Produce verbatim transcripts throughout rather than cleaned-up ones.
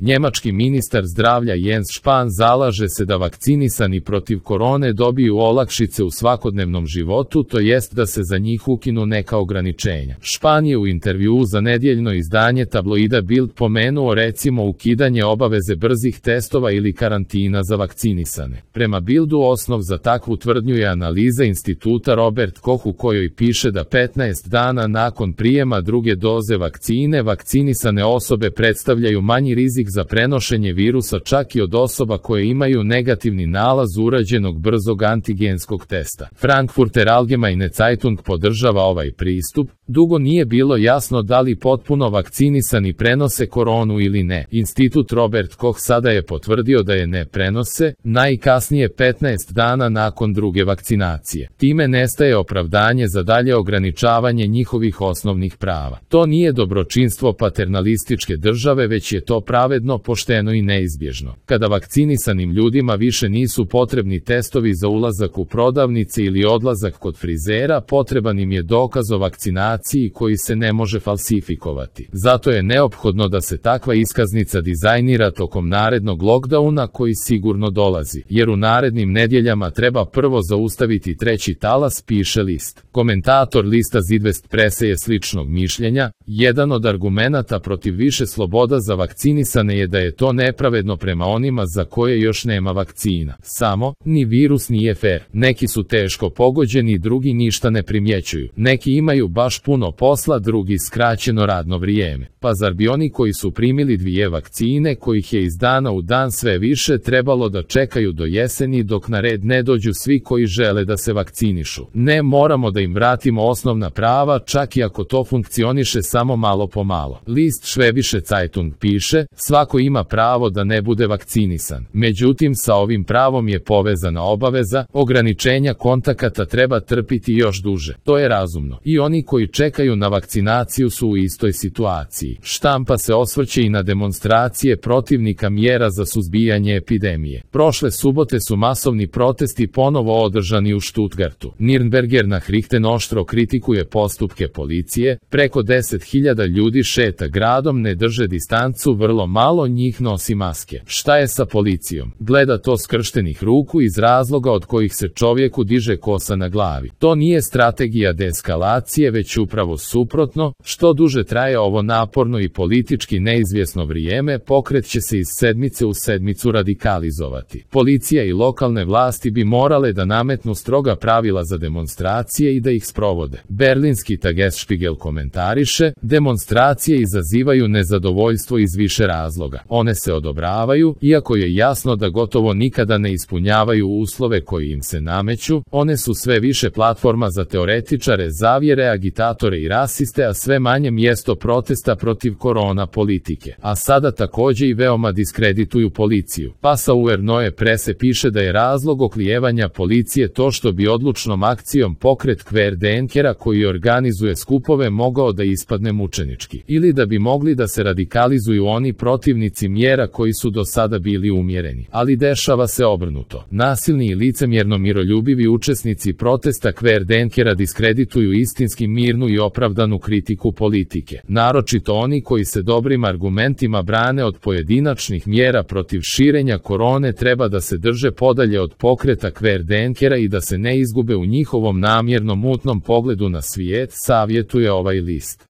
Njemački ministar zdravlja Jens Spahn zalaže se da vakcinisani protiv korone dobiju olakšice u svakodnevnom životu, to jest da se za njih ukinu neka ograničenja. Spahn je u intervjuu za nedjeljno izdanje tabloida Bild pomenuo recimo ukidanje obaveze brzih testova ili karantina za vakcinisane. Prema Bildu osnov za takvu tvrdnju je analiza instituta Robert Koch u kojoj piše da petnaest dana nakon prijema druge doze vakcine vakcinisane osobe predstavljaju manji rizik za prenošenje virusa čak i od osoba koje imaju negativni nalaz urađenog brzog antigenskog testa. Frankfurter Allgemeine Zeitung podržava ovaj pristup. Dugo nije bilo jasno da li potpuno vakcinisani prenose koronu ili ne. Institut Robert Koch sada je potvrdio da je ne prenose, najkasnije petnaest dana nakon druge vakcinacije. Time nestaje opravdanje za dalje ograničavanje njihovih osnovnih prava. To nije dobročinstvo paternalističke države, već je to pravedno, pošteno i neizbježno. Kada vakcinisanim ljudima više nisu potrebni testovi za ulazak u prodavnice ili odlazak kod frizera, potreban im je dokaz o vakcinaciji koji se ne može falsifikovati. Zato je neophodno da se takva iskaznica dizajnira tokom narednog lockdowna koji sigurno dolazi, jer u narednim nedjeljama treba prvo zaustaviti treći talas, piše list. Komentator lista Südwest Presse je sličnog mišljenja. Jedan od argumenata protiv više sloboda za vakcinisane je da je to nepravedno prema onima za koje još nema vakcina. Samo, ni virus nije fer. Neki su teško pogođeni, drugi ništa ne primjećuju. Neki imaju baš puno posla, drugi skraćeno radno vrijeme. Pa zar bi oni koji su primili dvije vakcine, kojih je iz dana u dan sve više, trebalo da čekaju do jeseni dok na red ne dođu svi koji žele da se vakcinišu? Ne, moramo da im vratimo osnovna prava, čak i ako to funkcioniše samo malo po malo. List Schwäbische Zeitung piše, svako ima pravo da ne bude vakcinisan. Međutim, sa ovim pravom je povezana obaveza, ograničenja kontakata treba trpiti još duže. To je razumno. I oni koji čekaju na vakcinaciju su u istoj situaciji. Štampa se osvrće i na demonstracije protivnika mjera za suzbijanje epidemije. Prošle subote su masovni protesti ponovo održani u Stuttgartu. Nürnberger Nachrichten oštro kritikuje postupke policije, preko deset hiljada ljudi šeta gradom, ne drže distancu, vrlo malo njih nosi maske. Šta je sa policijom? Gleda to skrštenih ruku iz razloga od kojih se čovjeku diže kosa na glavi. To nije strategija deeskalacije, već upravo suprotno. Što duže traje ovo naporno i politički neizvjesno vrijeme, pokret će se iz sedmice u sedmicu radikalizovati. Policija i lokalne vlasti bi morale da nametnu stroga pravila za demonstracije i da ih sprovode. Berlinski Tagesspiegel komentariše, demonstracije izazivaju nezadovoljstvo iz više razloga. One se odobravaju, iako je jasno da gotovo nikada ne ispunjavaju uslove koji im se nameću, one su sve više platforma za teoretičare zavjere, agitatore i rasiste, a sve manje mjesto protesta protiv korona politike. A sada također i veoma diskredituju policiju. Passauer Neue Presse piše da je razlog oklijevanja policije to što bi odlučnom akcijom pokret Querdenkera koji organizuje skupove mogao da ispadne mučenički. Ili da bi mogli da se radikalizuju oni protivnici mjera koji su do sada bili umjereni. Ali dešava se obrnuto. Nasilni i licemjerno miroljubivi učesnici protesta Querdenkera diskredituju istinski mirnu i opravdanu kritiku politike. Naročito oni koji se dobrim argumentima brane od pojedinačnih mjera protiv širenja korone treba da se drže podalje od pokreta Querdenkera i da se ne izgube u njihovom namjerno mutnom pogledu na svijet, savjetuje ovaj list.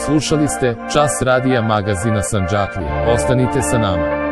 Slušali ste Čas radija magazina Sandžaklije. Ostanite sa nama.